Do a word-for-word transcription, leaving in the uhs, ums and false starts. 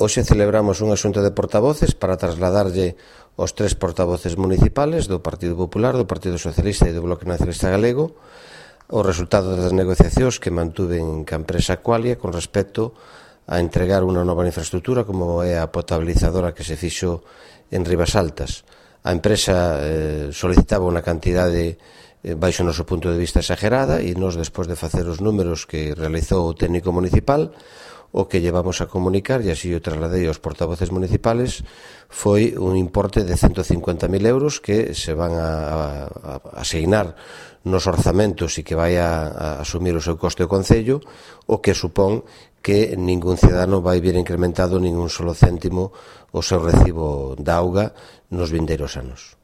Hoxe celebramos unha xunta de portavoces para trasladarlle aos tres portavoces municipales do Partido Popular, do Partido Socialista e do Bloque Nacionalista Galego o resultado das negociacións que mantuven ca empresa Aqualia con respecto a entregar unha nova infraestructura como é a potabilizadora que se fixo en Ribasaltas. A empresa eh, solicitaba unha cantidade eh, baixo o noso punto de vista exagerada e nós, despois de facer os números que realizou o técnico municipal, o que llevamos a comunicar, e así o trasladei aos portavoces municipales, foi un importe de ciento cincuenta mil euros que se van a, a, a asignar nos orzamentos e que vai a, a asumir o seu coste o Concello, o que supón que ningún cidadano vai vir incrementado ningún solo céntimo o seu recibo da auga nos vindeiros anos.